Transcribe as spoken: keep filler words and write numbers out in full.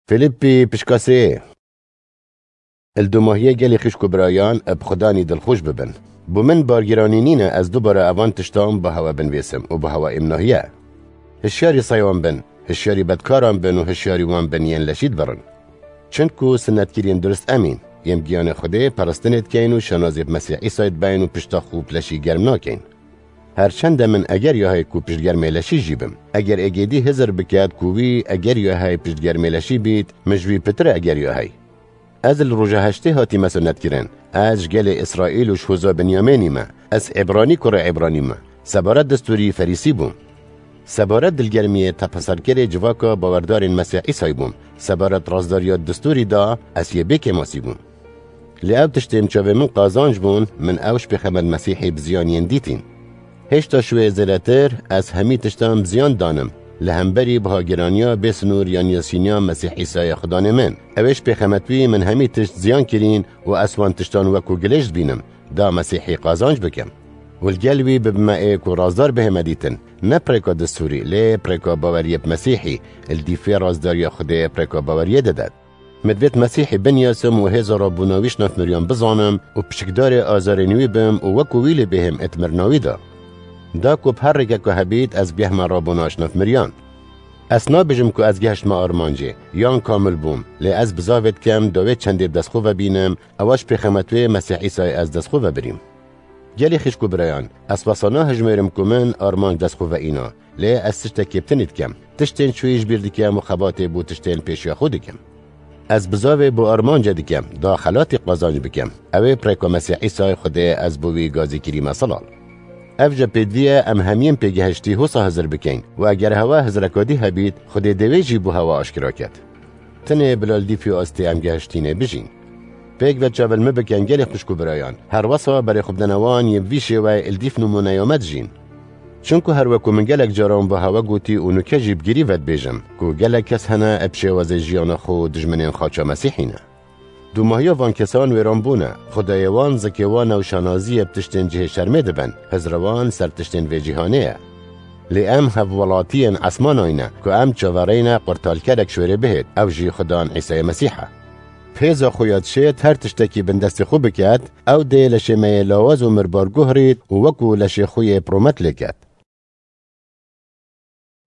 Fîlîppî pişka sê. Li dûmahiyê gelî xişk û birayan bi Xudanî dilxweş bibin. Bo min bargiranî nîne ez dubare evan tiştan bi hewe binvêsim û bi hewe êmnahiye. Hişyarî seywan bin, hişyarî bedkaran bin û hişyarî wan bin yên leşî dibirin. Çinku sinetkiriyên durist em în, yên giyanê Xwedê peristinê dikeyn û şanazî bi Mesîh Îsayê dibeyn û pişta xwe bi leşî germ nakeyn. Her çende min eger ya heye ku piştgermê leşî jî bim. Eger êgêdî hizir biket ku wî eger ya heye piştgermê leşî bît, min ji wî pitir e eger ya heye. Ez li roja heştê hatîme sunetkirin. Ez ji gelê Îsraîl û ji hoza Binyamênî me. Ez Îbranî kurê Îbranî me. Sebaret destûrî Ferîsî bûm. Sebaret dilgermiyê tepeserkerê civaka bawerdarên Mesîh Îsayî bûm. Sebaret razdariya destûrî da ez yê bêkêmasî bûm. Lê ew tiştên çavê min qazanc bûn, min ew ji pêxemet Mesîhî bi ziyan yên dîtîn. Hêşta ji wê zêdetir, ez hemî tiştan bi ziyan danim. Li hemberî bihagiraniya bêsinûr yan yasîniya Mesîh Îsayê Xudanê min. Ew ê ji pêxemet wî min hemî tişt ziyan kirîn û ez wan tiştan wekû gilêş dibînim, da Mesîhî qazanc bikim. Û li gel wî bibime ê ku razdar bihême dîtin, ne bi rêka destûrî, lê bi rêka baweriyê bi Mesîhî, li dîfê razdariya Xwedê bi rêka baweriyê didet. Min divêt Mesîhî binyasim û hêza rabûna wî ji nav miriyan bizanim û piçikdarê azarên wî bim û wekû wî lê bêhim ê di mirina wî de. Da ku bi her rêkeka hebît ez bihime rabûna ji nav miriyan. Ez nabêjim ku ez gehiştime armancê, yan kamil bûm, lê ez bizavê dikem da wê çendê bi dest xwe ve bînim, ewa ji pêxemet wê Mesîh Îsayê ez dest xwe ve birîm. Gelî xişk û birayan, ez wesa nahijmêrim ku min armanc dest xwe ve îna, lê ez tiştekî bi tinî dikem. Tiştên çûyî ji bîr dikem û xebatê bo tiştên pêşiya xwe dikim. Ez bizavê bo armanca dikem, da xelatî qazanc bikim. Ew ê bi rêka Mesîh Îsayê Xwedê ez bo wî gazî kirîme silal. Ev jî pêdivî ye em hemiyên pêgehiştî hosa hizir bikeyn û eger hewa hizreka dî hebît, Xwedê dê wê jî bo hewa aşkera ket. Tenê bila li dîfî astê em gehiştînê bijîn. Pêk ve çav li min bikin gelê xwişk û birayan. Her wesa berê xwe bidene wan yên bi vî şêweyê li dîf nimûneya me dijîn. Çinku her weku min gelek caran bi hewe gotî û nuke jî bi girî ve dibêjim ku gelek kes hene bi şêwazê jiyana xwe dijminên xaça Mesîhî ne. Dûmahiya van kesan wêran bûne, xwedayê wan zikê wan e û şanaziyê bi tiştên cihê şermê dibin, hizra wan ser tiştên vê cîhanê ye. Lê em hevwelatiyên esmanayî ne ku em çavereyne qurtalkerek ji wêrê bihêt, ew jî Xudan Îsayê Mesîh e. Bi hêza xwe ya dişêt her tiştekî bin destê xwe biket, ew dê leşê me yê lawaz û mirbar guhrît û wekû leşê xwe yê piromet lê ket.